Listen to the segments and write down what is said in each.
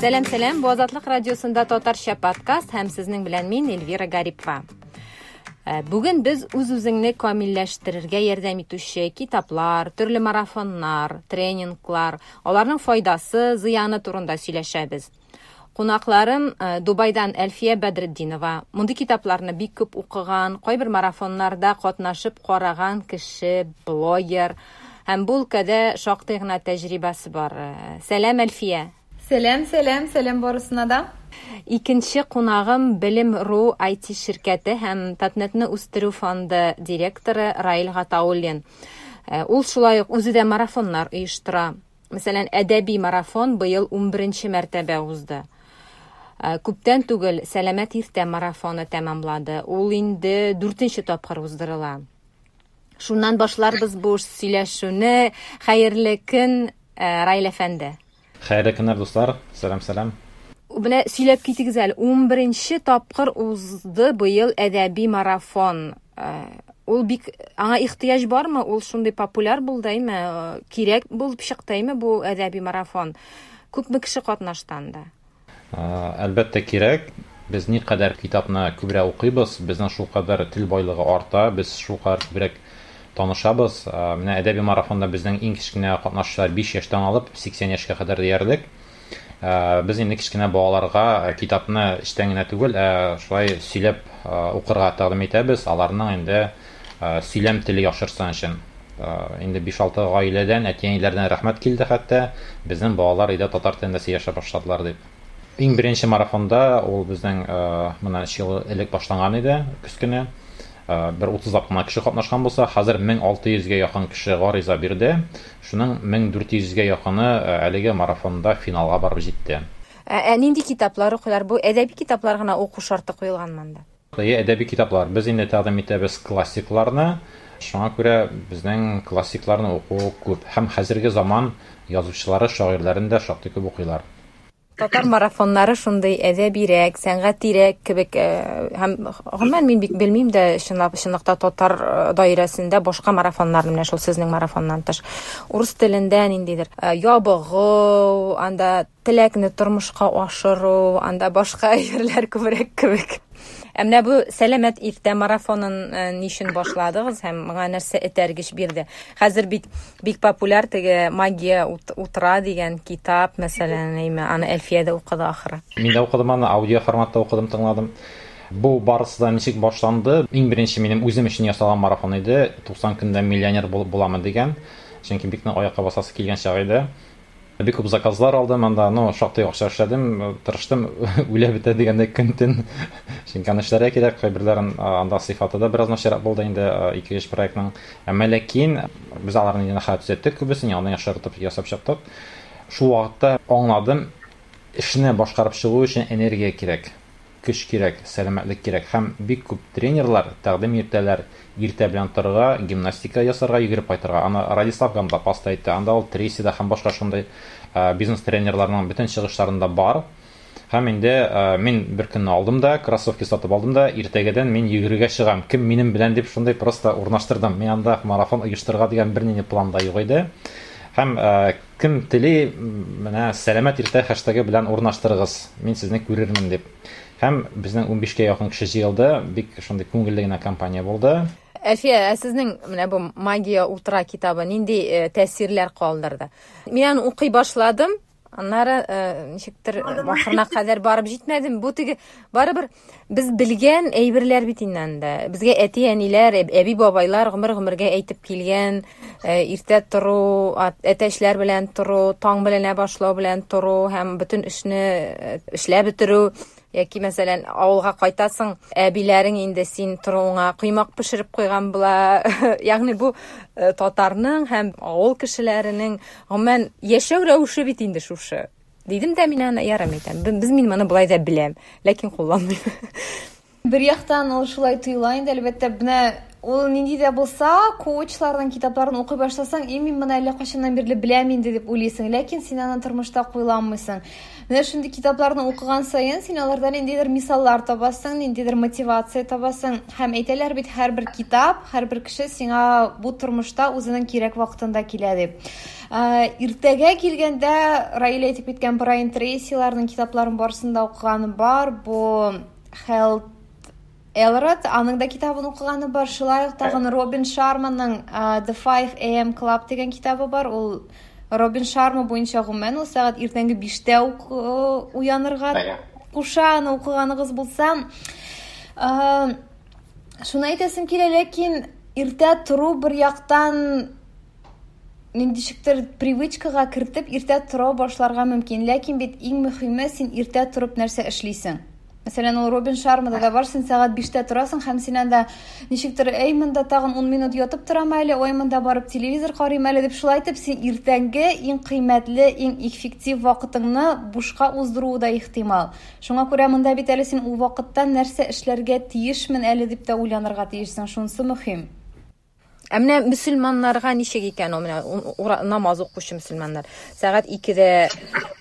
Сәлам, сәлам. Бу Азатлык радиосында татарча подкаст һәм сезнең белән мин Эльвира Гарипова. Бүген без үз-үзеңне камилләштерергә ярдәм итүче китаплар, төрле марафоннар, тренинглар, аларның файдасы, зыяны турында сөйләшәбез. Кунакларым Дубайдан Әлфия Бәдретдинова. Мондый китапларны бик күп укыган, кайбер марафоннарда катнашып караган кеше, блогер һәм бу өлкәдә шактый гына тәҗрибәсе бар. Сәлам, Әлфия! Сәлам, сәлам, сәлам барысына да. Икенче кунагым Белем.ру IT ширкәте һәм Татнетны үстерү фонды директоры Раил Гатауллин. Ул шулай ук үзе дә марафоннар оештыра. Мәсәлән, әдәби марафон быел 11 мәртәбә узды. Күптән түгел Сәламәт иртә марафоны тәмамлады. Ул инде дүртенче тапкыр уздырыла. Шуннан башларбыз бу сөйләшүне. Хәерле көн, Раил әфәнде. Хәерле көннәр, дуслар. Сәлам, сәлам. Менә сөйләп китегез әле. 11 тапкыр узды быел әдәби марафон. Ул бик аңа ихтыяҗ бармы? Ул шундый популяр булды, әйме? Кирәк булып чыкты, әйме бу әдәби марафон? Күпме кеше катнашты анда? Әлбәттә, кирәк. Без никадәр китапны күбрәк укыйбыз, безнең шулкадәр тел байлыгы арта, без шулкадәр күбрәк танышабыз. Менә әдәби марафонда безнең иң кечкенә катнашучылар 5 яшьтән алып 80 яшькә кадәр диярлек. Без инде кечкенә балаларга китапны эчтән генә түгел, ә шулай сөйләп укырга тәкъдим итәбез. Аларның инде сөйләм теле яхшырсын өчен. Инде 5-6 гаиләдән, әти-әниләрдән рәхмәт килде хәтта, безнең балалар өйдә татар телендә сөйләшә башладылар дип. Иң беренче марафонда ул безнең моннан 3 ел элек башланган иде, көз көне. Бер 30лап кына кеше катнашкан булса, хәзер 1600гә якын кеше гариза бирде. Шуның 1400гә якыны әлеге марафонда финалга барып җитте. Ә нинди китаплар укыйлар? Бу әдәби китаплар гына уку шарты куелганмы анда? Әйе, әдәби китаплар. Без инде тәкъдим итәбез классикларны. Шуңа күрә безнең классикларны уку күп. Һәм хәзерге заман язучылары, шагыйрьләрен дә шактый күп укыйлар. Татар марафоннары шундый әдәбирәк, сәнгатирәк кебек һәм гомумән мин бик белмим дә, чынлап, чынлыкта татар даирәсендә башка марафоннарны, менә шул сезнең марафоннан тыш, урыс телендә ниндидер ябыгу, анда теләкне тормышка ашыру, анда башка әйберләр күбрәк кебек. Ә менә бу сәламәт иртә марафонын ни өчен башладыгыз һәм моңа нәрсә этәргеч бирде? Хәзер бит бик популяр теге Магия утра дигән китап, мәсәлән, әйме, аны Әлфия дә укыды ахры. Мин дә укыдым аны, аудио форматта укыдым, тыңладым. Бу барысы да ничек башланды? Иң беренче минем үзем өчен ясалган марафон иде. 90 көндә миллионер булып буламы дигән. Чөнки бик нык аякка басасы килгән чак иде. Бик күп заказлар алдым анда, ну, шактый акча эшләдем, тырыштым, үлә бетә дигәндәй көн-төн. Чөнки аны эшләргә кирәк, кайберләрен анда сыйфаты да бераз начаррак булды инде, ике-өч проектның. Әмма ләкин без аларны инде хәзер төзәттек күбесен, яңадан яхшыртып ясап чыктык. Шул вакытта аңладым, эшне башкарып чыгу өчен энергия кирәк. Көч кирәк, сәламәтлек кирәк һәм бик күп тренерлар тәкъдим итәләр иртә белән торырга, гимнастика ясарга, йөгереп кайтырга. Аны Радислав Гандапас та әйтте, анда ул Трейси да һәм башка шундый бизнес-тренерларның бөтен чыгышларында бар. Һәм инде мин бер көнне алдым да, кроссовки сатып алдым да, иртәгәдән мин йөгерергә чыгам, кем минем белән дип шундый просто урнаштырдым. Мин анда марафон оештырырга дигән бернинди план да юк иде. Һәм кем тели, менә сәламәт иртә хэштегы белән урнаштырыгыз, мин сезне күрермен дип. Һәм безнең 15-кә якын кеше җыелды, бик шундый күңелле генә кампания булды. Әлфия, ә сезнең менә бу Магия утра китабы нинди тәэсирләр калдырды? Мин аны укый башладым, аннары ничектер ахырына кадәр барып җитмәдем. Бу теге барыбер без белгән әйберләр бит инде анда. Безгә әти-әниләр, әби-бабайлар гомер-гомергә әйтеп килгән, иртә тору, әтәчләр белән тору, таң беленә башлау белән тору һәм бөтен эшне эшләп бетерү. Яки, мәсәлән, авылга кайтасың, әбиләрең инде син торуыңа коймак пешереп куйган була. Ягъни бу татарның һәм авыл кешеләренең гомумән яшәү рәвеше бит инде шушы. Дидем дә мин аны ярым әйтәм. Без мин моны болай да беләм, ләкин кулланмыйм. Бер яктан ул шулай тоела инде, әлбәттә, менә ул нинди дә булса коучларның китапларын укый башласаң, и мин моны әллә кайчаннан бирле беләм инде дип уйлыйсың, ләкин син аны тормышта кулланмыйсың. Менә шундый китапларны укыган саен син аларда ниндидер мисаллар табасың, ниндидер мотивация табасың. Һәм әйтәләр бит, һәрбер китап, һәрбер кеше сиңа бу тормышта үзенең кирәк вакытында килә дип. Иртәгә килгәндә Раил әйтеп киткән Брайан Трейсиларның китапларын барысын да укыганым бар. Бу Health Элрод, аның да китабын укыганы бар. Шулай ук тагын Робин Шарманың The 5 AM Club дигән китабы бар. Ул Робин Шарма буенча гомумән ул сәгать иртәнге 5тә үк уянырга куша, аны укыганыгыз булса. Шуны әйтәсем килә, ләкин иртә тору бер яктан ниндичектер привычкага кертеп иртә тора башларга мөмкин. Ләкин бит иң мөһиме син иртә торып нәрсә эшлисең. Мәсәлән, ул Робин Шармада да бар, син сәгать 5тә торасың һәм син анда ничектер, әй, монда тагын 10 минут ятып торам әле, ой, монда барып телевизор карыйм әле дип шулай итеп син иртәнге иң кыйммәтле, иң эффектив вакытыңны бушка уздыруы да ихтимал. Шуңа күрә монда бит әле син ул вакытта нәрсә эшләргә тиешмен әле дип тә уйланырга тиешсең, шунысы мөһим. Ә менә мөселманнарга ничек икән ул, менә намаз укучы мөселманнар сәгать 2дә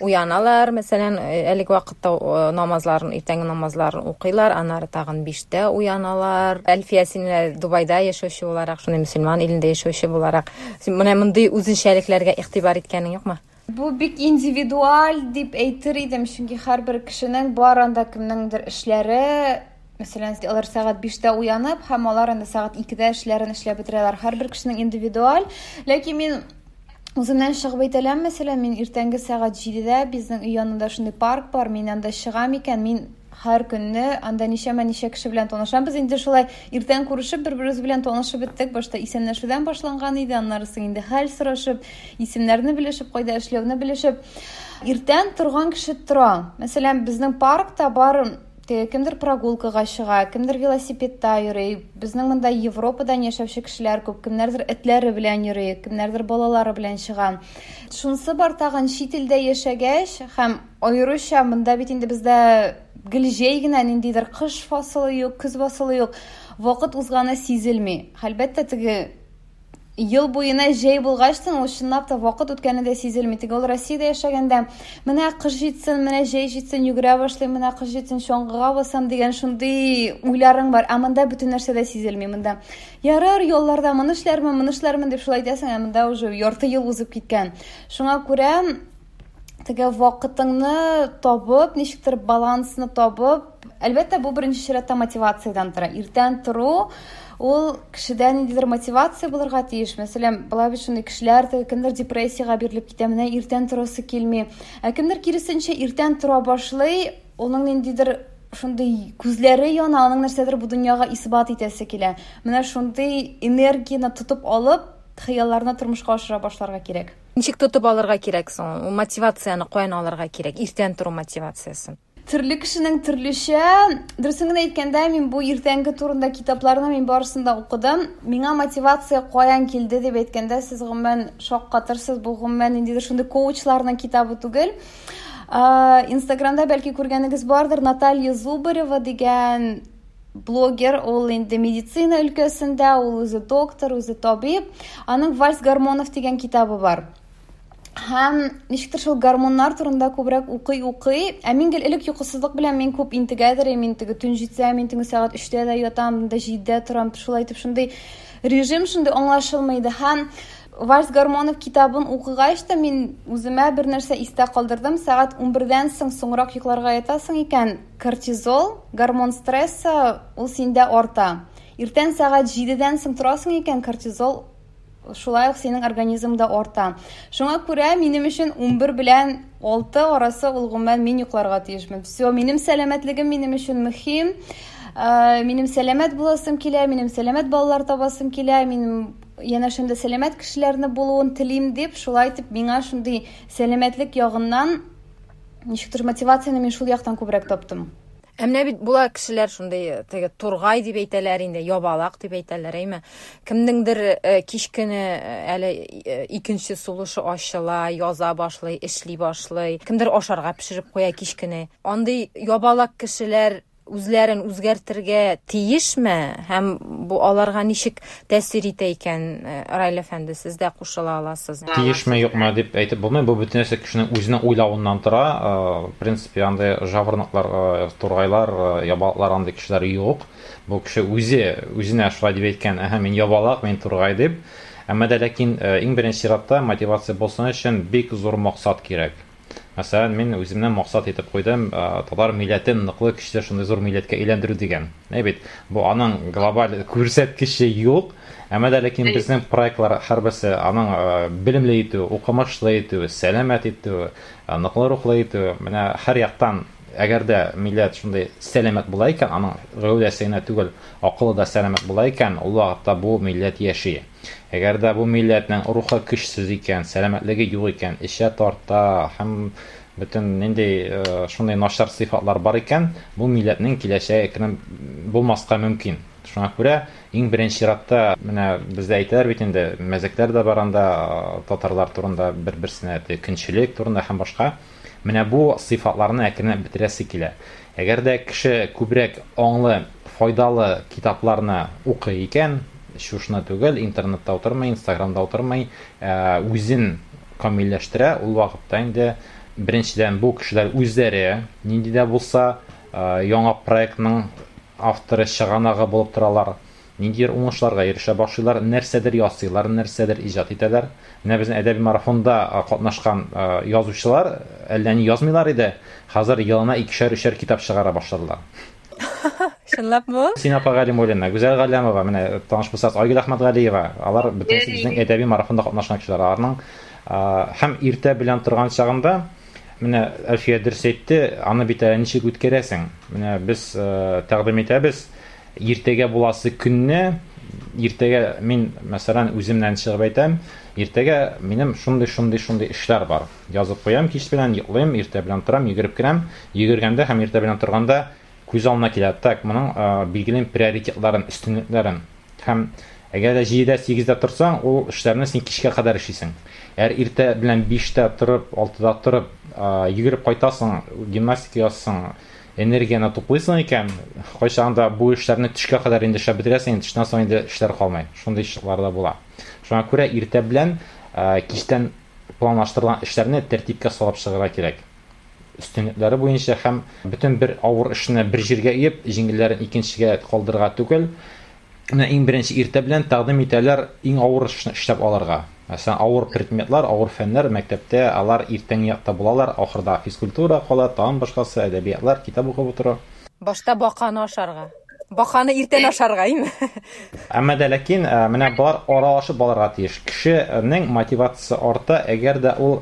уяналар, мәсәлән, әлеге вакытта намазларын, иртәнге намазларын укыйлар, аннары тагын 5тә уяналар. Әлфия, син менә Дубайда яшәүче буларак, шундый мөселман илендә яшәүче буларак, син менә мондый үзенчәлекләргә игътибар иткәнең юкмы? Бу бик индивидуаль дип әйтер идем, чөнки һәрбер кешенең бар анда кемнеңдер эшләре, мәсәлән, алар сәгать 5тә уянып һәм алар инде сәгать 2дә эшләрен эшләп бетерәләр. Һәрбер кешенең индивидуаль. Ләкин мин үземнән чыгып әйтә алам, мәсәлән, мин иртәнге сәгать 7дә безнең өй янында шундый парк бар, мин анда чыгам икән, мин һәр көнне анда ничәмә-ничә кеше белән танышам. Без инде шулай иртән күрешеп, бер-беребез белән танышып беттек. Башта исәнләшүдән башланган иде, аннары соң инде хәл сорашып, исемнәрне белешеп, кайда эшләүне белешеп. Иртән торган кеше тора. Мәсәлән, безнең паркта бар теге кемдер прогулкага чыга, кемдер велосипедта йөри. Безнең монда Европадан яшәүче кешеләр күп, кемнәрдер этләре белән йөри, кемнәрдер балалары белән чыга. Шунысы бар тагын, чит илдә яшәгәч һәм аеруча монда бит инде бездә гел җәй генә, ниндидер кыш фасылы юк, көз фасылы юк. Вакыт узганы сизелми. Әлбәттә, теге ел буена җәй булгачтын, ул чынлап та вакыт үткәне дә сизелми. Теге ул Россиядә яшәгәндә, менә кыш җитсен, менә җәй җитсен, йөгерә башлыйм, менә кыш җитсен, чаңгыга басам дигән шундый уйларың бар. Ә монда бөтен нәрсә дә сизелми. Монда ярар, ялларда моны эшләрмен, моны эшләрмен дип шулай әйтәсең, ә монда уже ярты ел узып киткән. Шуңа күрә теге вакытыңны табып, ничектер балансны табып, әлбәттә, бу беренче чиратта мотивациядән тора. Иртән тору ул кешедә ниндидер мотивация булырга тиеш. Мәсәлән, була бит шундый кешеләр, теге кемдер депрессиягә бирелеп китә, менә иртән торасы килми. Ә кемдер киресенчә иртән тора башлый, уның ниндидер шундый күзләре яна, аның нәрсәдер бу дөньяга исбат итәсе килә. Менә шундый энергияне тотып алып, хыялларны тормышка ашыра башларга кирәк. Ничек тотып алырга кирәк соң? Ул мотивацияне каян алырга кирәк? Иртән тору мотивациясен. Төрле кешенең төрлечә. Дөресен генә әйткәндә, мин бу иртәнге турында китапларны мин барысын да укыдым. Миңа мотивация каян килде дип әйткәндә, сез гомумән шаккатырсыз. Бу гомумән ниндидер шундый коучларның китабы түгел. Инстаграмда бәлки күргәнегез бардыр, Наталья Зубарева дигән блогер, ул инде медицина өлкәсендә, ул үзе доктор, үзе табиб. Аның Вальс гормонов дигән китабы бар. Һәм ничектер шул гормоннар турында күбрәк укый-укый, ә мин гел элек йокысызлык белән мин күп интегәдер, мин теге төн җитсә, мин төнге сәгать 3тә дә ятам, да 7дә торам, шулай итеп шундый режим шундый аңлашылмый иде. Һәм Вальс гормонов китабын укыгач та мин үземә бер нәрсә истә калдырдым. Сәгать 11дән соң соңрак йокларга ятасың икән, кортизол, гормон стресса, ул синдә арта. Иртән сәгать 7дән соң торасың икән, кортизол шулай ук синең организмда арта. Шуңа күрә минем өчен 11 белән 6 арасы ул гомумән мин йокларга тиешмен. Всё, минем сәламәтлегем минем өчен мөһим. Минем сәламәт буласым килә, минем сәламәт балалар табасым килә, минем янәшәмдә сәламәт кешеләрне булуын телим дип, шулай итеп миңа шундый сәламәтлек ягыннан ничектер мотивацияне мин шул яктан күбрәк таптым. Ә менә бит була кешеләр шундый, теге тургай дип әйтәләр инде, ябалак дип әйтәләр, әйме? Кемнеңдер кич көне әле икенче сулышы ачыла, яза башлый, эшли башлый. Кемдер ашарга пешереп куя кич көне. Андый ябалак кешеләр үзләрен үзгәртергә тиешме һәм бу аларга ничек тәэсир итә икән? Раил әфәнде, сез дә кушыла аласыз. Тиешме, юкмы дип әйтеп булмый. Бу бөтен нәрсә кешенең үзенең уйлавыннан тора. В принципе, андый жаворонклар, тургайлар, ябалаклар андый кешеләр юк. Бу кеше үзе үзенә шулай дип әйткән, әһә, мин ябалак, мин тургай дип. Әмма дә ләкин иң беренче чиратта мотивация булсын өчен бик зур максат кирәк. Мәсәлән, мин үземнән максат итеп куйдым, татар милләтен ныклы, көчле, шундый зур милләткә әйләндерү дигән. Әй бит, бу аның глобаль күрсәткече юк, әмма дә ләкин безнең проектлар һәрберсе аның белемле итү, укымышлы итү, сәламәт итү, ныклы рухлы итү, менә һәр яктан әгәр дә милләт шундый сәламәт була икән, аның гәүдәсе генә түгел, акылы да сәламәт була икән, ул вакытта бу милләт яши. Әгәр дә бу милләтнең рухы көчсез икән, сәламәтлеге юк икән, эчә тарта һәм бөтен нинди шундый начар сыйфатлар бар икән, бу милләтнең киләчәге әкрен булмаска мөмкин. Шуңа күрә иң беренче чиратта менә бездә әйтәләр бит инде, мәзәкләр дә бар анда татарлар турында, бер-берсенә көнчелек турында һәм башка. Менә бу сыйфатларны әкренләп бетерәсе килә. Әгәр дә кеше күбрәк аңлы, файдалы китапларны укый икән, чушны түгел, интернетта утырмый, инстаграмда утырмый, үзен камилләштерә, ул вакытта инде беренчедән бу кешеләр үзләре нинди дә булса яңа проектның авторы, чыганагы булып торалар. Ниндидер уңышларга ирешә башлыйлар, нәрсәдер ясыйлар, нәрсәдер иҗат итәләр. Менә безнең әдәби марафонда катнашкан язучылар әллә ни язмыйлар иде, хәзер елына икешәр-өчәр китап чыгара башладылар. Чынлапмы? Син апа Галимуллина, Гүзәл Галләмова, менә таныш булсагыз, Айгөл Әхмәтгалиева, алар бөтенесе безнең әдәби марафонда катнашкан кешеләр. Аларның һәм иртә белән торган чагында менә Әлфия дөрес әйтте, аны бит әле ничек үткәрәсең? Менә без тәкъдим итәбез, иртәгә буласы көнне, иртәгә мин, мәсәлән, үземнән чыгып әйтәм, иртәгә минем шундый, шундый, шундый эшләр бар. Язып куям, кич белән йоклыйм, иртә белән торам, йөгереп керәм. Йөгергәндә һәм иртә белән торганда күз алдына килә. Так, моның билгелим приоритетларын, өстенлекләрен. Һәм әгәр дә 7-дә, 8-дә торсаң, ул эшләрне син кичкә кадәр эшлисең. Әгәр иртә белән 5-тә торып, 6-да торып, йөгереп кайтасың, гимнастика ясасың, энергияне туплыйсың икән, кайчагында бу эшләрне төшкә кадәр инде эшләп бетерәсең, инде төштән соң инде эшләр калмый. Шундый чаклар да була. Шуңа күрә иртә белән кичтән планлаштырылган эшләрне тәртипкә салып чыгарга кирәк. Өстенлекләре буенча һәм бөтен бер авыр эшне бер җиргә өеп, җиңелләрен икенчегә калдырырга түгел. Менә иң беренче иртә белән тәкъдим итәләр иң авыр эшне эшләп алырга. Мәсәлән, авыр предметлар, авыр фәннәр мәктәптә алар иртәнге якта булалар, ахырда физкультура кала, тагын башкасы, әдәбиятлар, китап укып утыру. Башта баканы ашарга. Баканы иртән ашарга, име? Әмма дә ләкин менә болар аралашып алырга тиеш. Кешенең мотивациясе арта, әгәр дә ул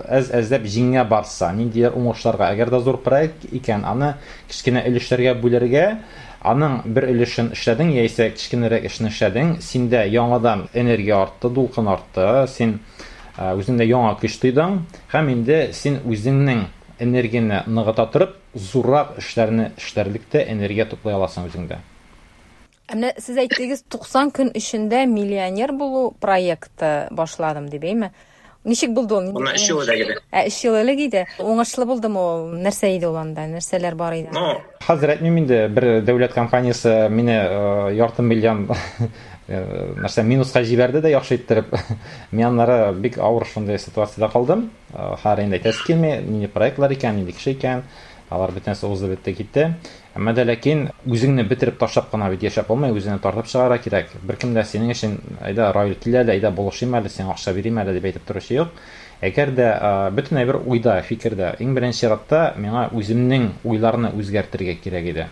әз-әзләп җиңә барса, ниндидер уңышларга. Әгәр дә зур проект икән, аны кечкенә өлешләргә бүлергә, аның бер өлешен эшләдең, яисә кечкенәрәк эшне эшләдең, синдә яңадан энергия артты, дулкын артты, син үзеңдә яңа көч тойдың, һәм инде син үзеңнең энергияне ныгыта торып, зуррак эшләрне эшләрлек тә энергия туплый аласың үзеңдә. Ә менә сез әйттегез, 90 көн эчендә миллионер булу проекты башладым дип, әйме? Ничек булды ул? Моннан 3 ел элек иде. Ә 3 ел элек иде. Уңышлы булдымы ул? Нәрсә иде ул анда? Нәрсәләр бар иде? Ну, хәзер әйтмим инде, бер дәүләт компаниясе мине ярты миллион нәрсә минуска җибәрде дә яхшы иттереп. Мин аннары бик авыр шундый ситуациядә калдым. Хәзер инде әйтәсе килми, нинди проектлар икән, нинди кеше икән. Алар бөтенесе узды бетте китте. Әмма дә ләкин үзеңне бетереп ташлап кына бит яшәп булмый, үзеңне тартып чыгарга кирәк. Беркем дә синең өчен, әйдә, Раил, кил әле, әйдә, булышыйм әле, сиңа акча бирим әле дип әйтеп торучы юк. Әгәр дә бөтен әйбер уйда, фикердә. Иң беренче чиратта миңа үземнең уйларны үзгәртергә кирәк иде.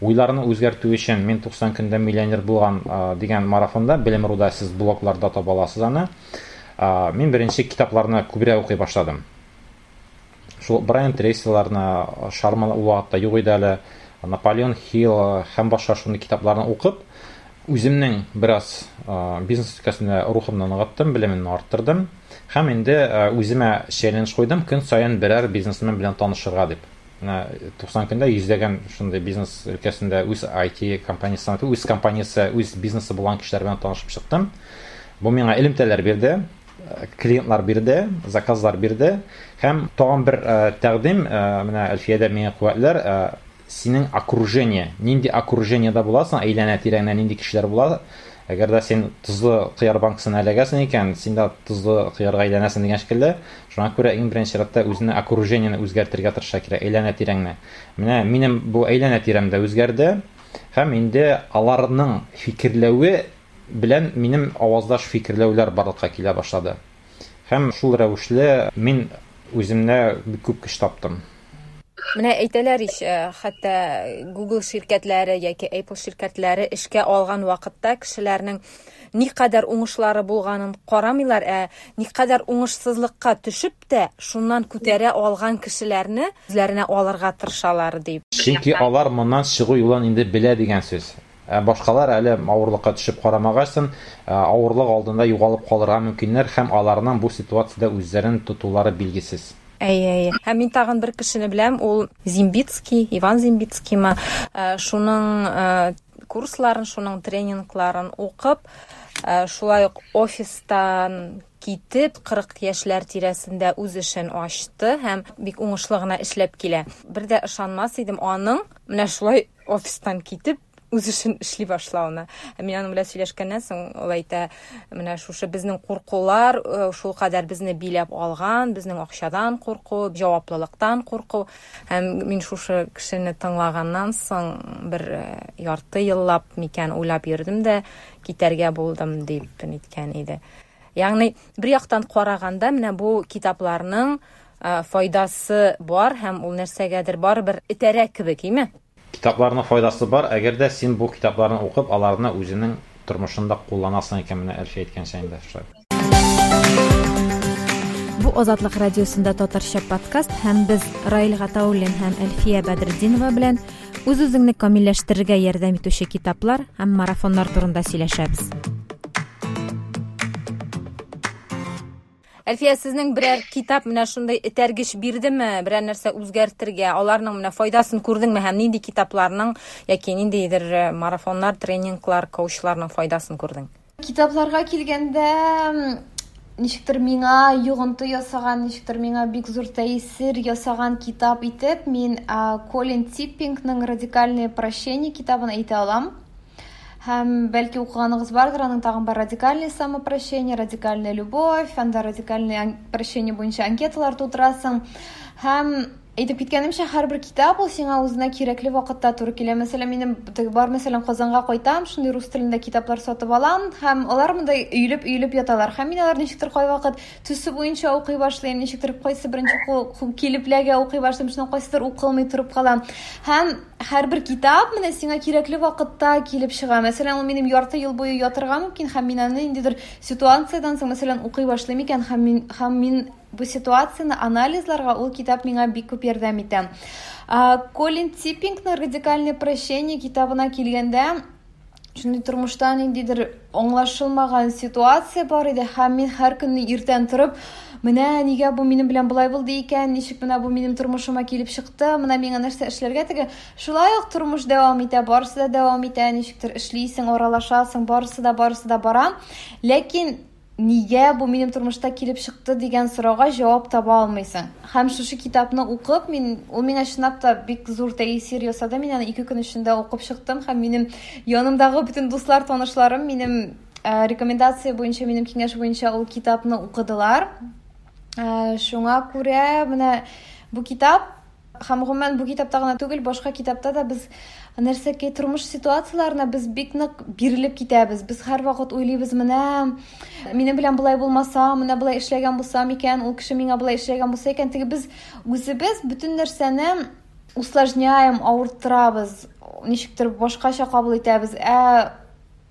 Уйларны үзгәртү өчен мин 90 көндә миллионер булган дигән марафонда Белем.руда сез блогларда таба аласыз аны. Мин беренче китапларны күбрәк укый башладым. Шул Брайан Трейсиларны, Шарман ул вакытта юк иде әле, Наполеон Хилл һәм башка шундый китапларны укып, үземнең бераз бизнес өлкәсендә рухымны ныгыттым, белемемне арттырдым. Һәм инде үземә челлендж куйдым, көн саен берәр бизнесмен белән танышырга дип. Менә 90 көндә йөзләгән шундый бизнес өлкәсендә үз IT компаниясе, үз компаниясе, үз бизнесы булган кешеләр белән танышып чыктым. Бу миңа элемтәләр бирде, клиентлар бирде, заказлар бирде. Һәм тагын бер тәкъдим, менә Әлфиядә миңа куәтләр, синең окружение. Нинди окружениедә буласың, әйләнә-тирәңдә нинди кешеләр була. Әгәр дә син тозлы кыяр банкасына эләгәсең икән, син дә тозлы кыярга әйләнәсең дигән шикелле. Шуңа күрә иң беренче чиратта үзеңне окружениене үзгәртергә тырышырга кирәк, әйләнә-тирәңне. Менә минем бу әйләнә-тирәм дә үзгәрде. Һәм инде аларның фикерләве белән минем аваздаш фикерләүләр барлыкка килә башлады. Һәм шул рәвешле мин үземдә бик күп көч таптым. Менә әйтәләр ич, хәтта Google ширкәтләре яки Apple ширкәтләре эшкә алган вакытта кешеләрнең никадәр уңышлары булганын карамыйлар, ә никадәр уңышсызлыкка төшеп тә, шуннан күтәрә алган кешеләрне үзләренә алырга тырышалар дип. Чөнки алар моннан чыгу юлын инде белә дигән сүз. Ә башкалар әле авырлыкка төшеп карамагачтын, авырлык алдында югалып калырга мөмкиннәр һәм аларның бу ситуациядә үзләрен тотулары билгесез. Әйе, әйе. Һәм мин тагын бер кешене беләм, ул Зимбицкий, Иван Зимбицкиймы, шуның курсларын, шуның тренингларын укып, шулай ук офистан китеп, 40 яшьләр тирәсендә үз эшен ачты һәм бик уңышлы гына эшләп килә. Бер дә ышанмас идем аның менә шулай офистан китеп, үз эшен эшли башлавына. Мин аның белән сөйләшкәннән соң ул әйтә, менә шушы безнең куркулар шул кадәр безне биләп алган, безнең акчадан курку, җаваплылыктан курку. Һәм мин шушы кешене тыңлаганнан соң бер ярты еллап микән уйлап йөрдем дә китәргә булдым дип әйткән иде. Ягъни бер яктан караганда менә бу китапларның файдасы бар һәм ул нәрсәгәдер барыбер этәрә кебек, име? Китапларның файдасы бар, әгәр дә син бу китапларны укып, аларны үзеңнең тормышыңда кулланасың икән, менә Әлфия әйткәнчә инде шулай. Бу Азатлык радиосында татарча подкаст һәм без Раил Гатауллин һәм Әлфия Бәдретдинова белән үз-үзеңне камилләштерергә ярдәм итүче китаплар һәм марафоннар турында сөйләшәбез. Әлфия, сезнең берәр китап менә шундый этәргеч бирдеме, берәр нәрсә үзгәртергә, аларның менә файдасын күрдеңме һәм нинди китапларның яки ниндидер марафоннар, тренинглар, коучларның файдасын күрдең? Китапларга килгәндә, ничектер миңа йогынты ясаган, ничектер миңа бик зур тәэсир ясаган китап итеп, мин Колин Типпингның Радикальное прощение китабын әйтә алам. Һәм бәлки укыганыгыз бардыр, аның тагын бар радикальное самопрощение, радикальная любовь, анда радикальное прощение буенча анкеталар тутырасың. Һәм әйтеп киткәнемчә, һәрбер китап ул сиңа үзенә кирәкле вакытта туры килә. Мәсәлән, минем теге бар, мәсәлән, Казанга кайтам, шундый рус телендә китаплар сатып алам, һәм алар монда өелеп-өелеп яталар. Һәм мин алар ничектер кайвакыт төсе буенча укый башлыйм, ничектер кайсы беренче килеп ләгә укый башлыйм, шуннан кайсыдыр укылмый торып кала. Һәм һәрбер китап менә сиңа кирәкле вакытта килеп чыга. Мәсәлән, ул минем ярты ел буе ятырга мөмкин, һәм мин аны ниндидер ситуациядән соң, мәсәлән, укый башлыйм икән, һәм мин бу ситуацияне анализларга ул китап миңа бик күп ярдәм итә. Колин Типпингның Радикальное прощение китабына килгәндә, шундый тормышта ниндидер аңлашылмаган ситуация бар иде, һәм мин һәр көнне иртән торып, менә нигә бу минем белән болай булды икән, ничек менә бу минем тормышыма килеп чыкты, менә миңа нәрсә эшләргә, теге шулай ук тормыш дәвам итә, барысы да дәвам итә, ничектер эшлисең, аралашасың, барысы да, барысы да бара. Ләкин нигә бу минем тормышта килеп чыкты дигән сорауга җавап таба алмыйсың. Һәм шушы китапны укып, ул миңа чынлап та бик зур тәэсир ясады. Мин аны 2 көн эчендә укып чыктым һәм минем янымдагы бөтен дуслар, танышларым минем рекомендация буенча, минем киңәш буенча ул китапны укыдылар. Шуңа күрә менә бу китап һәм гомумән бу китапта гына түгел, башка китапта да без нәрсәкәй тормыш ситуацияләренә без бик нык бирелеп китәбез. Без һәрвакыт уйлыйбыз, менә минем белән болай булмаса, менә болай эшләгән булсам икән, ул кеше миңа болай эшләгән булса икән. Теге без үзебез бөтен нәрсәне усложняем, авырттырабыз, ничектер башкача кабул итәбез. Ә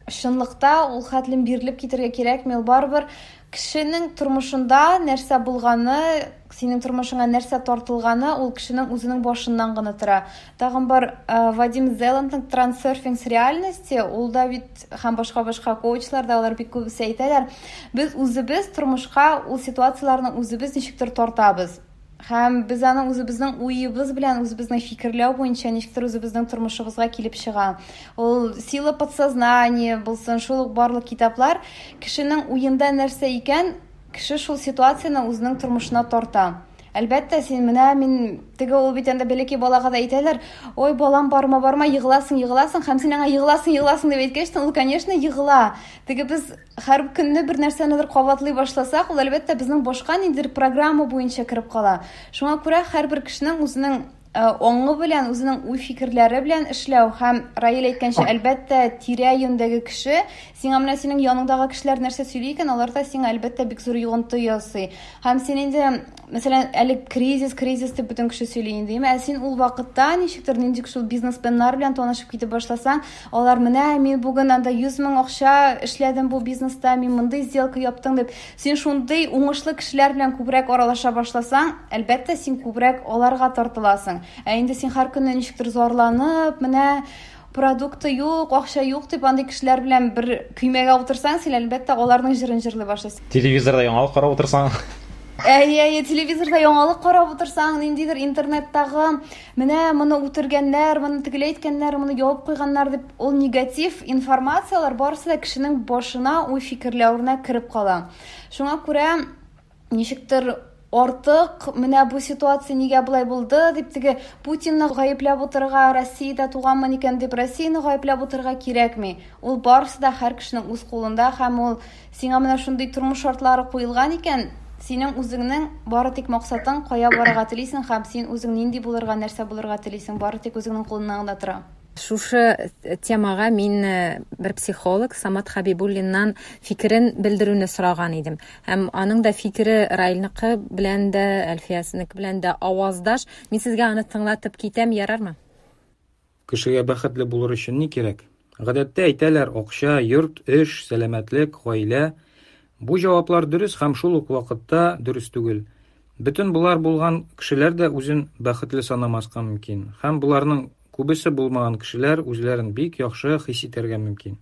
чынлыкта ул хәтлем бирелеп китәргә кирәкми, ул барыбер кешенең тормышында нәрсә булганы, синең тормышыңа нәрсә тартылганы, ул кешенең үзенең башыннан гына тора. Тагын бар Вадим Зеландның Трансерфинг с реальности, ул да бит һәм башка-башка коучлар да, алар бик күбесе әйтәләр. Без үзебез тормышка ул ситуацияләрне үзебез ничектер тартабыз. Һәм без аны үзебезнең уебыз белән, үзебезнең фикерләү буенча ничектер үзебезнең тормышыбызга килеп чыга. Ул сила подсознания булсын, шул ук барлык китаплар кешенең уенда нәрсә икән, кеше шул ситуацияне үзенең тормышына тарта. Әлбәттә, син менә мин теге ул бит инде бәләкәй балага да әйтәләр, ой, балам, барма, барма, егыласың, егыласың, һәм син аңа егыласың, егыласың дип әйткәч, ул, конечно, егыла. Теге без һәр көнне бер нәрсәнедер кабатлый башласак, ул әлбәттә безнең башка ниндидер программа буенча кереп кала. Шуңа күрә һәрбер кешенең үзенең аңы белән, үзенең уй-фикерләре белән эшләү һәм Раил әйткәнчә, әлбәттә, тирә-юньдәге кеше, сиңа менә синең яныңдагы кешеләр нәрсә сөйли икән, алар да сиңа әлбәттә бик зур йогынты ясый. Һәм син инде, мәсәлән, әле кризис, кризис дип бөтен кеше сөйли инде, ә син ул вакытта ничектер нинди шул бизнесменнар белән танышып китеп башласаң, алар менә мин бүген анда 100 мең акча эшләдем бу бизнеста, мин мондый сделка яптым дип, син шундый уңышлы кешеләр белән күбрәк аралаша башласаң, әлбәттә, син күбрәк аларга тартыласың. Ә инде син һәр көнне ничектер зарланып, менә продукты юк, акча юк дип андый кешеләр белән бер көймәгә утырсаң, син әлбәттә аларның җырын җырлый башлыйсың. Телевизорда яңалык карап утырсаң. Әйе, әйе, телевизорда яңалык карап утырсаң, ниндидер интернеттагы менә моны үтергәннәр, моны тегеләй иткәннәр, моны ябып куйганнар дип, ул негатив информацияләр барысы да кешенең башына, уй-фикерләвенә кереп кала. Шуңа күрә ничектер артык менә бу ситуация нигә болай булды дип теге Путинны гаепләп утырырга, Россиядә туганмын икән дип Россияне гаепләп утырырга кирәкми. Ул барысы да һәр кешенең үз кулында һәм ул сиңа менә шундый тормыш шартлары куелган икән, синең үзеңнең бары тик максатың кая барырга телисең һәм син үзең нинди булырга, нәрсә булырга телисең, бары тик үзеңнең кулыңнан гына тора. Шушы темага мин бер психолог Самат Хабибуллиннан фикерен белдерүне сораган идем. Һәм аның да фикере Раилныкы белән дә, Әлфиясенеке белән дә аваздаш. Мин сезгә аны тыңлатып китәм, ярармы? Кешегә бәхетле булыр өчен ни кирәк? Гадәттә әйтәләр, акча, йорт, эш, сәламәтлек, гаилә. Бу җаваплар дөрес һәм шул ук вакытта дөрес түгел. Бөтен болар булган кешеләр дә үзен бәхетле санамаска мөмкин. Һәм боларның күбесе булмаган кешеләр үзләрен бик яхшы хис итәргә мөмкин.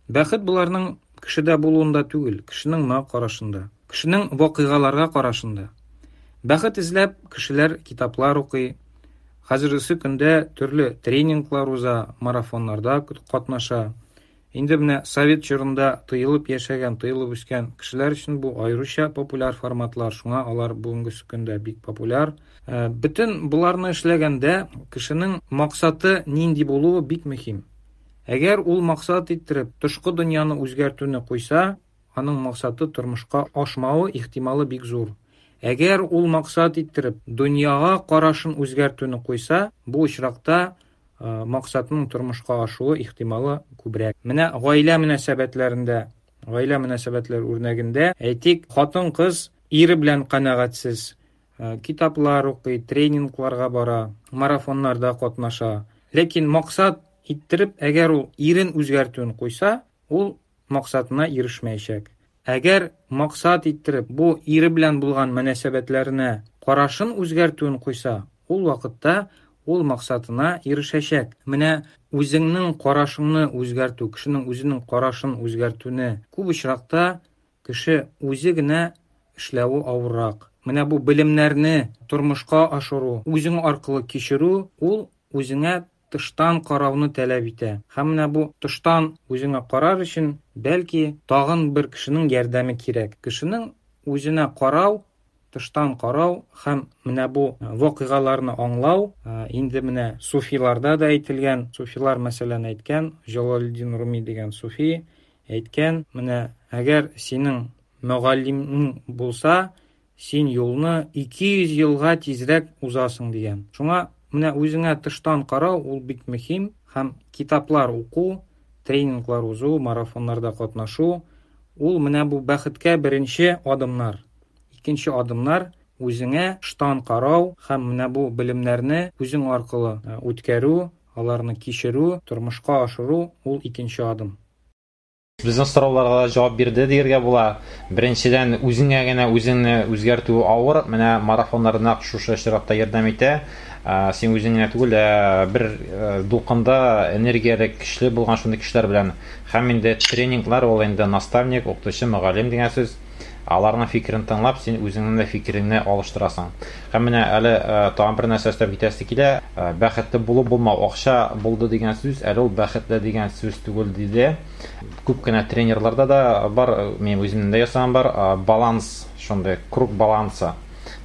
Бәхет боларның кешедә булуында түгел, кешенең моңа карашында, кешенең вакыйгаларга карашында. Бәхет эзләп кешеләр китаплар укый, хәзергесе көндә төрле тренинглар уза, марафоннарда катнаша. Инде менә совет чорында тыелып яшәгән, тыелып үскән кешеләр өчен бу аеруча популяр форматлар, шуңа алар бүгенге көндә бик популяр. Бөтен боларны эшләгәндә кешенең максаты нинди булуы бик мөһим. Әгәр ул максат иттереп тышкы дөньяны үзгәртүне куйса, аның максаты тормышка ашмавы ихтималы бик зур. Әгәр ул максат иттереп дөньяга карашын үзгәртүне куйса, бу очракта максатның тормышка ашуы ихтималы күбрәк. Менә гаилә мөнәсәбәтләрендә, гаилә мөнәсәбәтләре үрнәгендә, әйтик, хатын-кыз ире белән канәгатьсез, китаплар укый, тренингларга бара, марафоннарда катнаша. Ләкин максат иттереп, әгәр ул ирен үзгәртүен куйса, ул максатына ирешмәячәк. Әгәр максат иттереп бу ире белән булган мөнәсәбәтләренә карашын үзгәртүен куйса, ул вакытта ул максатына ирешәчәк. Менә үзеңнең карашыңны үзгәртү, кешенең үзенең карашын үзгәртүне күп очракта кеше үзе генә эшләве авыррак. Менә бу белемнәрне тормышка ашыру, үзең аркылы кичерү, ул үзеңә тыштан карауны таләп итә. Һәм менә бу тыштан үзеңә карар өчен бәлки тагын бер кешенең ярдәме кирәк. Кешенең үзенә карау, тыштан карау һәм менә бу вакыйгаларны аңлау, инде менә суфиларда да әйтелгән, суфилар мәсәлән әйткән, Җалалетдин Руми дигән суфи әйткән, менә әгәр синең мөгаллимең булса, син юлны 200 елга тизрәк узасың дигән. Шуңа менә үзеңә тыштан карау ул бик мөһим һәм китаплар уку, тренинглар узу, марафоннарда катнашу ул менә бу бәхеткә беренче адымнар. Икенче адымнар үзеңә тыштан карау һәм менә бу белемнәрне үзең аркылы үткәрү, аларны кичерү, тормышка ашыру ул икенче адым. Безнең сорауларга җавап бирде дияргә була. Беренчедән, үзеңә генә үзеңне үзгәртү авыр. Менә марафоннар нәкъ шушы очракта ярдәм итә. Син үзең генә түгел, ә бер дулкында энергияле, көчле булган шундый кешеләр белән. Һәм инде тренинглар ул инде наставник, укытучы, мөгаллим дигән сүз. Аларның фикерен тыңлап, син үзеңнең дә фикереңне алыштырасың. Һәм менә әле тагын бер нәрсә өстәп китәсе килә. Бәхетле булу булмау, акча булды дигән сүз, әле ул бәхетле дигән сүз түгел диде. Күп кенә тренерларда да бар, мин үземнең дә ясаган бар, баланс, шундый круг баланса.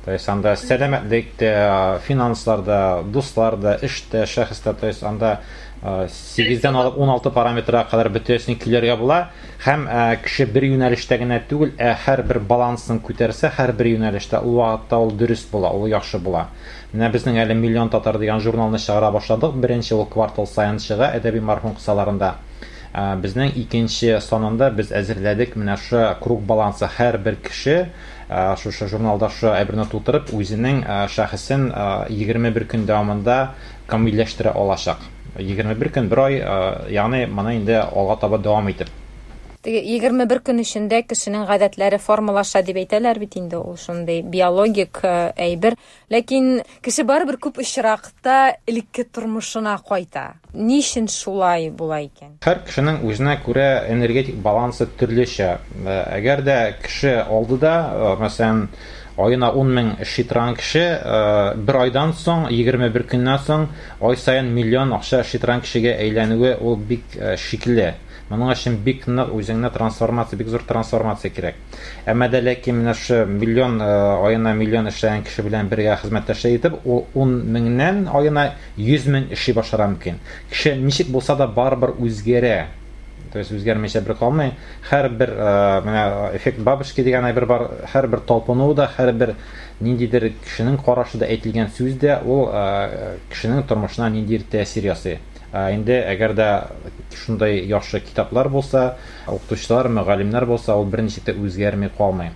То есть анда сәламәтлек тә, финанслар да, дуслар да, эш тә, шәхес тә, то есть анда 8-дән алып 16 параметрга кадәр бөтенесен көйләргә була. Һәм кеше бер юнәлештә генә түгел, ә һәрбер балансын күтәрсә, һәрбер юнәлештә ул вакытта ул дөрес була, ул яхшы була. Менә безнең әле Миллион татар дигән журналны чыгара башладык. Беренче ул квартал саен чыга әдәби марафон кысаларында. Безнең икенче санында без әзерләдек менә шушы круг балансы һәрбер кеше шушы журналда шушы әйберне тутырып, үзенең шәхесен 21 көн дәвамында камилләштерә алачак. 21 көн, бер ай, ягъни моны инде алга таба дәвам итеп. Теге 21 көн эчендә кешенең гадәтләре формалаша дип әйтәләр бит инде, ул шундый биологик әйбер. Ләкин кеше барыбер күп очракта элекке тормышына кайта. Ни өчен шулай була икән? Һәр кешенең үзенә күрә энергетик балансы төрлечә. Әгәр дә кеше алды да, мәсәлән, аена 10 мең эшли торган кеше, бер айдан соң, 21 көннән соң, ай саен миллион акча эшли торган кешегә әйләнүе ул бик шикле. Моның өчен бик нык үзеңне трансформация, бик зур трансформация кирәк. Әмма дә ләкин менә шушы миллион, аена миллион эшләгән кеше белән бергә хезмәттәшлек итеп, ул 10 меңнән аена 100 мең эшли башларга мөмкин. Кеше ничек булса да барыбер үзгәрә. То есть үзгәрмичә бер калмый. Һәрбер, менә эффект бабочки дигән әйбер бар, һәрбер талпыну да, һәрбер ниндидер кешенең карашы да, әйтелгән сүз дә ул кешенең тормышына ниндидер тәэсир ясый. Инде әгәр дә шундай яхшы китаплар булса, укытучылар, мөгаллимнәр булса, ул берничек тә үзгәрми калмый.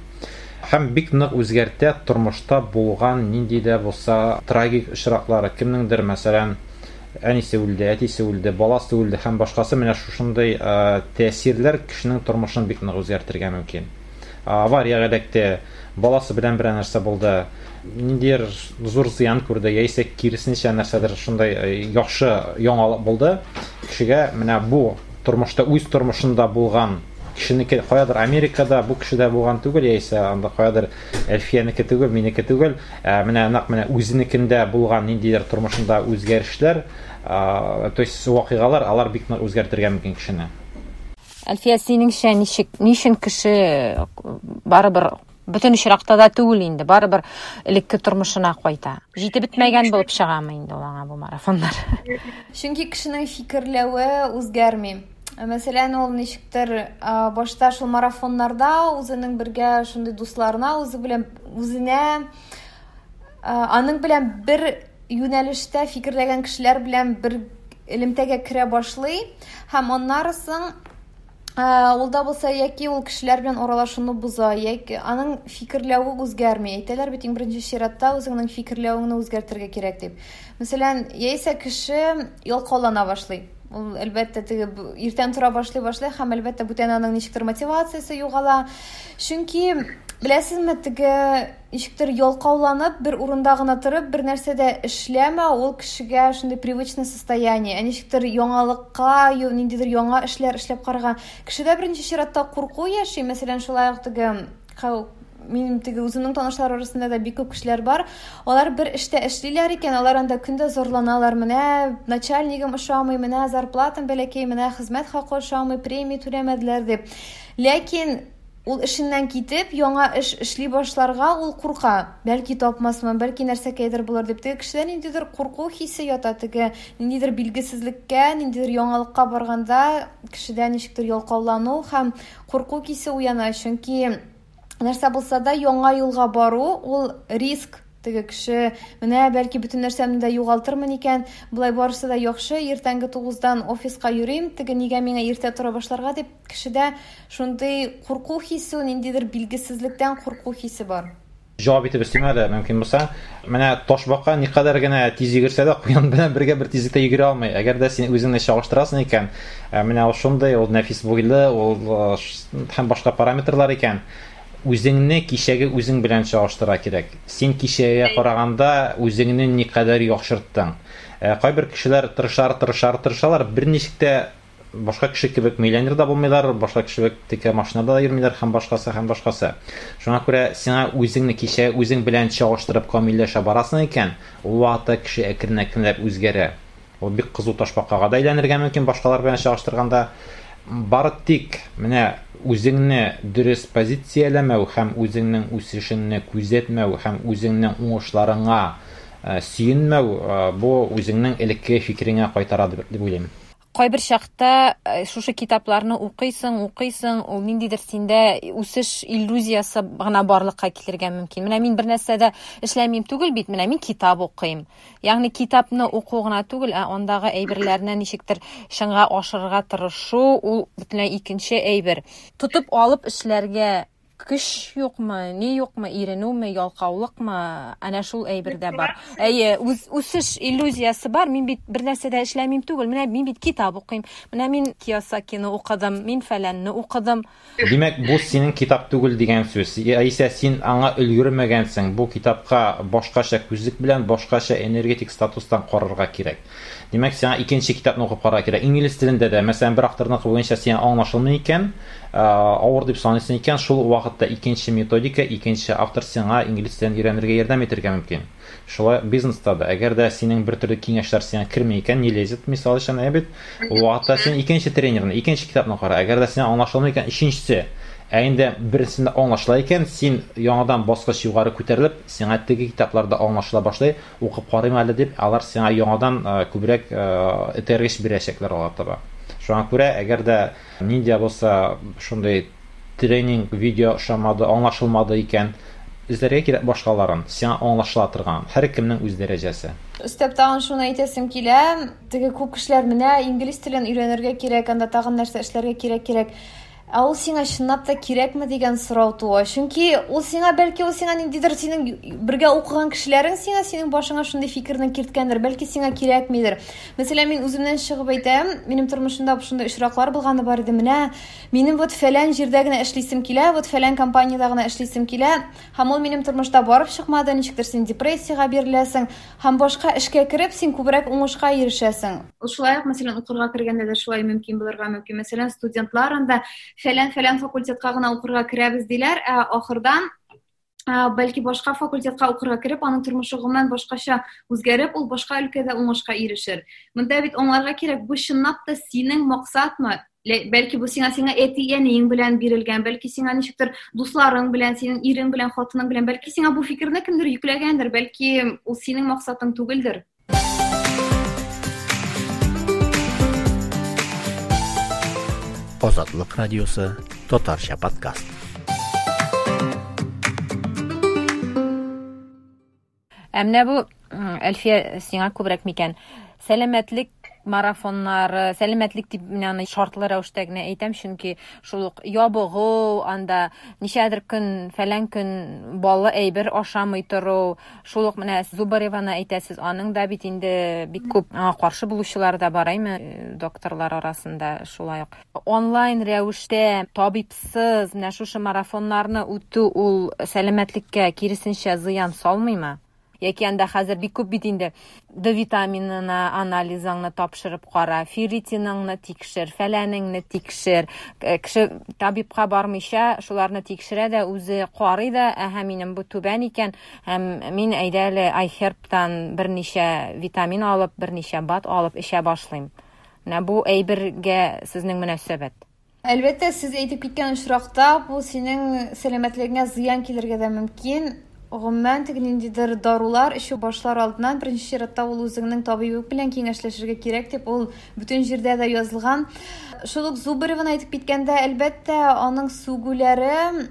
Һәм бик нык үзгәртә тормышта булган нинди дә булса трагик очраклар. Кемнеңдер, мәсәлән, әнисе үлде, әтисе үлде, баласы үлде һәм башкасы, менә шушындый тәэсирләр кешенең тормышын бик нык үзгәртергә мөмкин. Авариягә эләкте, баласы белән берәр нәрсә булды, ниндидер зур зыян күрде, яисә киресенчә нәрсәдер шундай яхшы яңалык булды. Кешегә менә бу тормышта, үз тормышында булган кешенеке каядыр Америкада, бу кешедә булган түгел, яисә анда каядыр Әлфиянеке түгел, минеке түгел, менә нәкъ менә үзенекендә булган ниндидер тормышында үзгәрешләр, то есть вакыйгалар, алар бик нык үзгәртергә мөмкин кешене. Әлфия, синеңчә ничек, ни өчен кеше барыбер бөтен очракта да түгел инде, барыбер элекке тормышына кайта? Җитеп бетмәгән булып чыгамы инде ул аңа бу марафоннар? Чөнки кешенең фикерләве үзгәрми. Мәсәлән, ул ничектер, башта шул марафоннарда үзенең бергә шундый дусларына, үзе белән, үзенә, аның белән бер юнәлештә фикерләгән кешеләр белән бер элемтәгә керә башлый һәм аннары соң, ул да булса яки ул кешеләр белән аралашуны боза, яки аның фикерләве үзгәрми. Әйтәләр бит, иң беренче чиратта үзеңнең фикерләвеңне үзгәртергә кирәк дип. Мәсәлән, яисә кеше ялкаулана башлый. Ул, әлбәттә, теге иртән тора башлый башлый һәм, әлбәттә, бүтән аның ничектер мотивациясе югала. Чөнки, беләсезме, теге ничектер ялкауланып, бер урында гына торып, бер нәрсә дә эшләмәү, ул кешегә шундый привычный состояние. Ә ничектер яңалыкка, ниндидер яңа эшләр эшләп карарга. Кешедә беренче чиратта курку яши. Мәсәлән, шулай ук теге минем теге үземнең танышлар арасында да бик күп кешеләр бар. Алар бер эштә эшлиләр икән, алар анда көндә зарланалар. Менә начальнигым ошамый, менә зарплатам бәләкәй, менә хезмәт хакы ошамый, премия түләмәделәр дип. Ләкин ул эшеннән китеп, яңа эш эшли башларга ул курка. Бәлки тапмасмын, бәлки нәрсәкәйдер булыр дип. Теге кешедә ниндидер курку хисе ята, теге ниндидер билгесезлеккә, ниндидер яңалыкка барганда кешедә ничектер ялкаулану һәм курку хисе уяна. Чөнки нәрсә булса да яңа юлга бару ул риск. Теге кеше менә бәлки бөтен нәрсәмне дә югалтырмын икән, болай барысы да яхшы, иртәнге 9-дан офиска йөрим, теге нигә миңа иртә тора башларга дип, кешедә шундый курку хисе, ниндидер билгесезлектән курку хисе бар. Җавап итеп өстим әле, мөмкин булса. Менә ташбака никадәр генә тиз йөгерсә дә, куян белән бергә бер тизлектә йөгерә алмый. Әгәр дә син үзеңне чагыштырасың икән, менә ул шундый, ул нәфис буйлы, ул һәм башка параметрлар икән, үзеңне кичәге үзең белән чагыштыра кирәк. Син кичәгә караганда үзеңне никадәр яхшырттың. Кайбер кешеләр тырышар, тырышар, тырышалар, берничек тә башка кеше кебек миллионер да булмыйлар, башка кеше кебек текә машинада да йөрмиләр һәм башкасы, һәм башкасы. Шуңа күрә сиңа үзеңне кичә үзең белән чагыштырып камилләшә барасың икән, ул вакытта кеше әкрен-әкренләп үзгәрә. Ул бик кызу ташбакага да әйләнергә мөмкин башкалар белән чагыштырганда. Бары тик менә үзеңне дөрес позицияләмәү һәм үзеңнең үсешеңне күзәтмәү һәм үзеңнең уңышларыңа сөенмәү, бу үзеңнең элеккеге фикереңә кайтара дип уйлыйм. Кайбер чакта шушы китапларны укыйсың, укыйсың, ул ниндидер синдә үсеш иллюзиясе гына барлыкка килергә мөмкин. Менә мин бер нәрсә дә эшләмим түгел бит, менә мин китап укыйм. Ягъни китапны уку гына түгел, ә андагы әйберләрне ничектер чынга ашырырга тырышу, ул бөтенләй икенче әйбер. Тотып алып эшләргә көч юкмы, ни юкмы, иренүме, ялкаулыкмы, әнә шул әйбер дә бар. Әйе, үз үсеш иллюзиясе бар. Мин бит бер нәрсә дә эшләмим түгел. Менә мин бит китап укыйм. Менә мин Кийосакины укыдым, мин фәләнне укыдым. Димәк, бу синең китап түгел дигән сүз. Яисә син аңа өлгермәгәнсең. Бу китапка башкача күзлек белән, башкача энергетик статустан карарга кирәк. Димәк, сиңа икенче китапны укып карарга кирәк. Инглиз телендә дә, мәсәлән, бер авторныкы буенча сиңа аңлашылмый икән, авыр дип саныйсың икән, шул вакытта икенче методика, икенче автор сиңа инглиз телен өйрәнергә ярдәм итәргә мөмкин. Шулай ук бизнеста да, әгәр дә синең бер төрле киңәшләр сиңа керми икән, не лезет, мисал өчен, әйе бит, ул вакытта син икенче тренерны, икенче китапны кара. Әгәр дә сиңа аңлашылмый икән, өченчесе. Ә инде берсендә аңлашыла икән, син яңадан баскыч югары күтәрелеп, сиңа теге китаплар да аңлашыла башлый, укып карыйм әле дип, алар сиңа яңадан күбрәк этәргеч бирәчәкләр алга таба. Шуңа күрә, әгәр дә нинди дә булса шундый тренинг, видео ошамады, аңлашылмады икән, эзләргә кирәк башкаларын, сиңа аңлашыла торган. Һәркемнең үз дәрәҗәсе. Өстәп тагын шуны әйтәсем килә, теге күп кешеләр менә инглиз телен өйрәнергә кирәк, анда тагын нәрсә эшләргә кирәк кирәк. Ә ул сиңа чынлап та кирәкме дигән сорау туа. Чөнки ул сиңа бәлки ул сиңа ниндидер синең бергә укыган кешеләрең сиңа синең башыңа шундый фикерне керткәндер, бәлки сиңа кирәкмидер. Мәсәлән, мин үземнән чыгып әйтәм, минем тормышымда шундый очраклар булганы бар иде. Менә минем вот фәлән җирдә генә эшлисем килә, вот фәлән компаниядә генә эшлисем килә. Һәм ул минем тормышта барып чыкмады, ничектер син депрессиягә биреләсең һәм башка эшкә кереп, син күбрәк уңышка ирешәсең. Ул шулай ук, мәсәлән, укырга кергәндә дә шулай мөмкин булырга мөмкин. Мәсәлән, студентлар анда фәлән-фәлән факультетка гына укырга керәбез диләр, ә ахырдан бәлки башка факультетка укырга кереп, аның тормышы гомумән башкача үзгәреп, ул башка өлкәдә уңышка ирешер. Монда бит аңларга кирәк, бу чынлап та синең максатмы? Бәлки бу сиңа сиңа әти-әниең белән бирелгән, бәлки сиңа ничектер дусларың белән, синең ирең белән, хатының белән, бәлки сиңа бу фикерне кемдер йөкләгәндер, бәлки ул синең максатың түгелдер. Азатлык радиосы татарча подкаст. Ә менә бу, Әлфия, сиңа күбрәк микән? Сәламәтлек марафоннары, сәламәтлек дип мин аны шартлы рәвештә генә әйтәм, чөнки шул ук ябыгу, анда ничәдер көн, фәлән көн баллы әйбер ашамый тору, шул ук менә Зубареваны әйтәсез, аның да бит инде бик күп аңа каршы булучылар да бар, әйме, докторлар арасында шулай ук. Онлайн рәвештә табибсыз менә шушы марафоннарны үтү ул сәламәтлеккә киресенчә зыян салмыймы? Яки анда хәзер бик күп бит инде Д витаминына анализыңны тапшырып кара, ферритиныңны тикшер, фәләнеңне тикшер. Кеше табибка бармыйча шуларны тикшерә дә, үзе карый да, әһә, минем бу түбән икән, һәм мин әйдә әле iHerb-тан берничә витамин алып, берничә бад алып эчә башлыйм. Менә бу әйбергә сезнең мөнәсәбәт. Әлбәттә, сез әйтеп киткән очракта бу синең сәламәтлегеңә зыян килергә дә мөмкин. Гомумән, теге ниндидер дарулар эчү башлар алдыннан беренче чиратта ул үзеңнең табибың белән киңәшләшергә кирәк дип ул бөтен җирдә дә язылган. Шул ук Зубареваны әйтеп киткәндә, әлбәттә, аның сүгүләре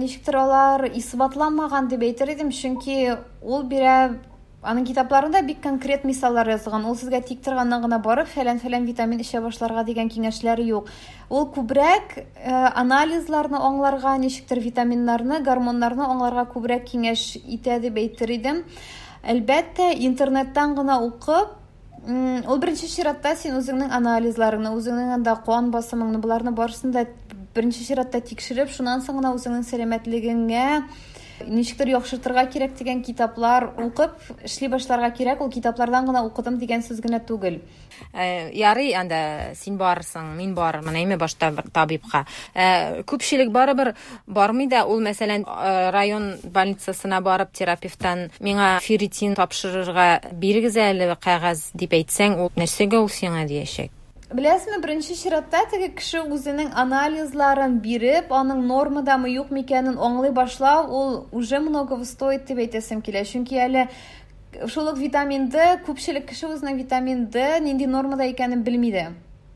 ничектер алар исбатланмаган дип әйтер идем, чөнки ул бирә аның китапларында бик конкрет мисаллар язылган. Ул сезгә тик торганнан гына барып фәлән-фәлән витамин эчә башларга дигән киңәшләр юк. Ул күбрәк анализларны аңларга, ничектер витаминнарны, гормоннарны аңларга күбрәк киңәш итә дип әйтер идем. Әлбәттә, интернеттан гына укып, ул беренче чиратта син үзеңнең анализларыңны, үзеңнең анда кан басымыңны, боларны барысын да беренче чиратта тикшереп, шуннан соң гына үзеңнең сәламәтлегеңә ничектер яхшыртырга кирәк дигән китаплар укып эшли башларга кирәк. Ул китаплардан гына укыдым дигән сүз генә түгел. Ярый, анда син барырсың, мин барырмын, әйме, башта бер табибка. Күпчелек барыбер бармый да, ул, мәсәлән, район больницасына барып терапевттан миңа ферритин тапшырырга бирегез әле кәгазь дип әйтсәң, ул нәрсәгә ул сиңа диячәк. Беләсезме, беренче чиратта теге кеше үзенең анализларын биреп, аның нормадамы юкмы икәнен аңлый башлау, ул уже многого стоит дип әйтәсем килә. Чөнки әле шул ук витамин Д, күпчелек кеше үзенең витамин Д нинди нормада икәнен белми дә.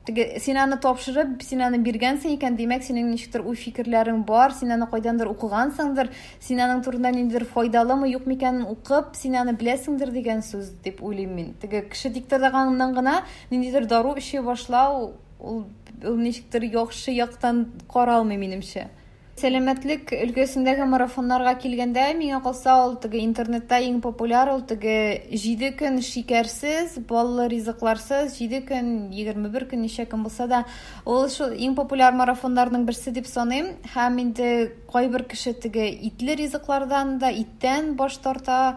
Теге син аны тапшырып, син аны биргәнсең икән, димәк, синең ничектер уй-фикерләрең бар, син аны кайдандыр укыгансыңдыр, син аның турында ниндидер файдалымы, юкмы икәнен укып, син аны беләсеңдер дигән сүз дип уйлыйм мин. Теге кеше тик торганнан гына ниндидер дару эчә башлау, ул ничектер яхшы яктан каралмый минемчә. Сәламәтлек өлкәсендәге марафоннарга килгәндә, миңа калса, ул теге интернетта иң популяр, ул теге 7 көн шикәрсез, баллы ризыкларсыз, 7 көн, 21 көн, ничә көн булса да, ул шул иң популяр марафоннарның берсе дип саныйм. Һәм инде кайбер кеше теге итле ризыклардан да, иттән баш тарта,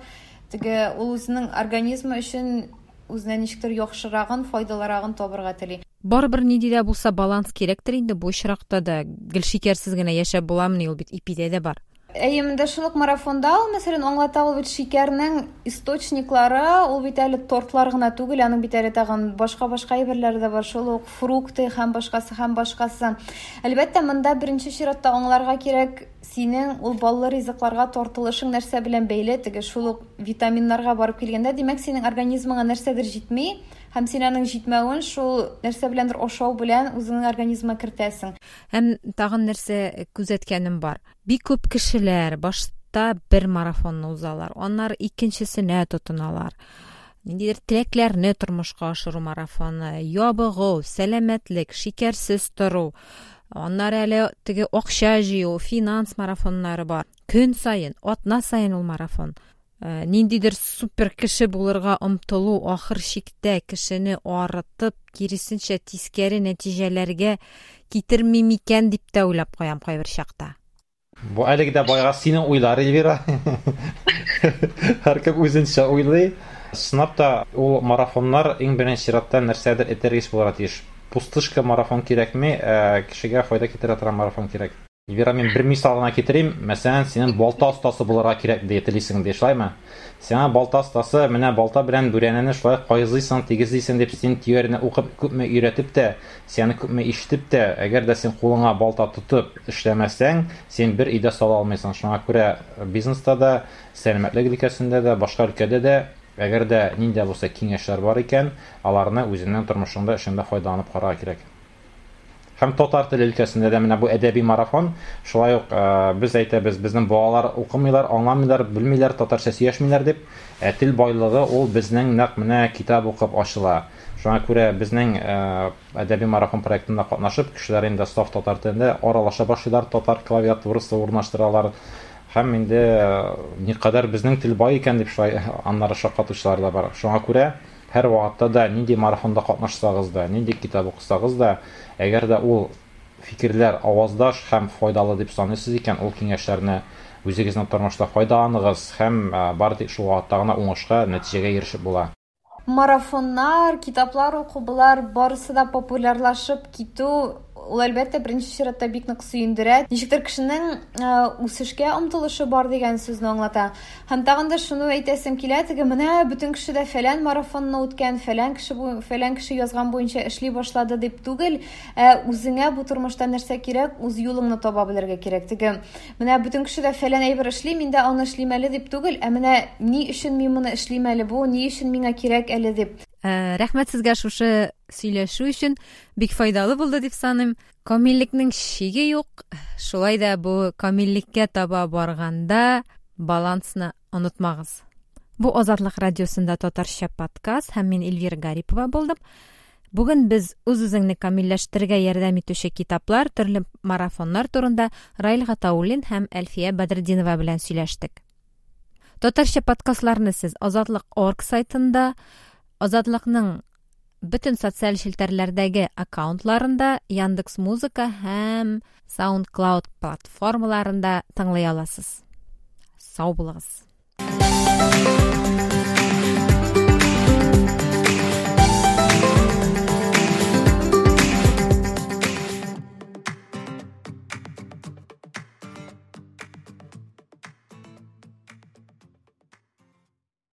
теге ул үзенең организмы өчен үзенә ничектер яхшырагын, файдалырагын табырга тели. Барыбер нинди дә булса баланс кирәктер инде бу очракта да. Гел шикәрсез генә яшәп буламыни, ул бит ипидә дә бар. Әйе, монда шул ук марафонда ул, мәсәлән, аңлата ул бит шикәрнең источниклары, ул бит әле тортлар гына түгел, аның бит әле тагын башка-башка әйберләре дә бар, шул ук фрукты һәм башкасы, һәм башкасы. Әлбәттә, монда беренче чиратта аңларга кирәк, синең ул баллы ризыкларга тартылышың нәрсә белән бәйле, теге шул ук витаминнарга барып килгәндә, димәк, синең организмыңа нәрсәдер җитми, һәм син аның җитмәвен шул нәрсә беләндер ашау белән үзеңнең организмыңа кертәсең. Һәм тагын нәрсә күзәткәнем бар. Бик күп кешеләр башта бер марафонны узалар, аннары икенчесенә тотыналар. Ниндидер теләкләрне тормышка ашыру марафоны, ябыгу, сәламәтлек, шикәрсез тору, аннары әле теге акча җыю, финанс марафоннары бар. Көн саен, атна саен ул марафон. Ниндидер супер кеше булырга омтылу ахыр чиктә кешене арытып, киресенчә тискәре нәтиҗәләргә китерми микән дип тә уйлап куям кайбер чакта. Бу әлеге дә байга синең уйлар, Эльвира. Һәркем үзенчә уйлый. Чынлап та ул марафоннар иң беренче чиратта нәрсәдер этәргеч булырга тиеш. Пустышка марафон кирәкми, ә кешегә файда китерә торган марафон кирәк. Эльвира, мин бер мисал гына китерим. Мәсәлән, синең балта остасы булырга кирәк дип телисең, ди, шулаймы? Сиңа балта остасы, менә балта белән бүрәнәне шулай кайзыйсың, тигезлисең дип син теорияне укып күпме өйрәтеп тә, сине күпме ишетеп тә, әгәр дә син кулыңа балта тотып эшләмәсәң, син бер өйдә сала алмыйсың. Шуңа күрә бизнеста да, сәламәтлек өлкәсендә дә, башка өлкәдә дә, әгәр дә нинди булса киңәшләр бар икән, аларны үзеңнең тормышыңда, эшеңдә файдаланып карарга кирәк. Һәм татар теле өлкәсендә дә менә бу әдәби марафон, шулай ук без әйтәбез, безнең балалар укымыйлар, аңламыйлар, белмиләр, татарча сөйләшмиләр дип, ә тел байлыгы ул безнең нәкъ менә китап укып ачыла. Шуңа күрә безнең әдәби марафон проектында катнашып, кешеләр инде саф татар телендә аралаша башлыйлар, татар клавиатурасы урнаштыралар. Һәм инде никадәр безнең тел бай икән дип шулай аннары шаккатучылар да бар. Шуңа күрә һәр вакытта да нинди марафонда катнашсагыз да, нинди китап укысагыз да, әгәр дә ул фикерләр аваздаш һәм файдалы дип саныйсыз икән, ул киңәшләрне үзегезнең тормышта файдаланыгыз һәм бары тик шул вакытта гына уңышка, нәтиҗәгә ирешеп була. Марафоннар, китаплар уку, болар барысы да популярлашып китү, ул әлбәттә беренче чиратта бик нык сөендерә. Ничектер кешенең үсешкә омтылышы бар дигән сүзне аңлата. Һәм тагын да шуны әйтәсем килә, теге менә бөтен кеше дә фәлән марафонны үткән, фәлән кеше бу, фәлән кеше язган буенча эшли башлады дип түгел, ә үзеңә бу тормышта нәрсә кирәк, үз юлыңны таба белергә кирәк. Теге менә бөтен кеше дә фәлән әйбер эшли, мин дә аны эшлим әле дип түгел, ә менә ни өчен мин моны эшлим әле бу, ни өчен миңа кирәк әле дип. Рәхмәт сезгә шушы сөйләшү өчен, бик файдалы булды дип саныйм. Камиллекнең чиге юк, шулай да бу камиллеккә таба барганда балансны онытмагыз. Бу Азатлык радиосында татарча подкаст һәм мин Эльвира Гарипова булдым. Бүген без үз-үзеңне камилләштерергә ярдәм итүче китаплар, төрле марафоннар турында Раил Гатауллин һәм Әлфия Бәдретдинова белән сөйләштек. Татарча подкастларны сез Азатлык орг сайтында, Азатлыкның бөтен социаль челтәрләрдәге аккаунтларында, Яндекс Музыка һәм SoundCloud платформаларында тыңлый аласыз. Сау булыгыз.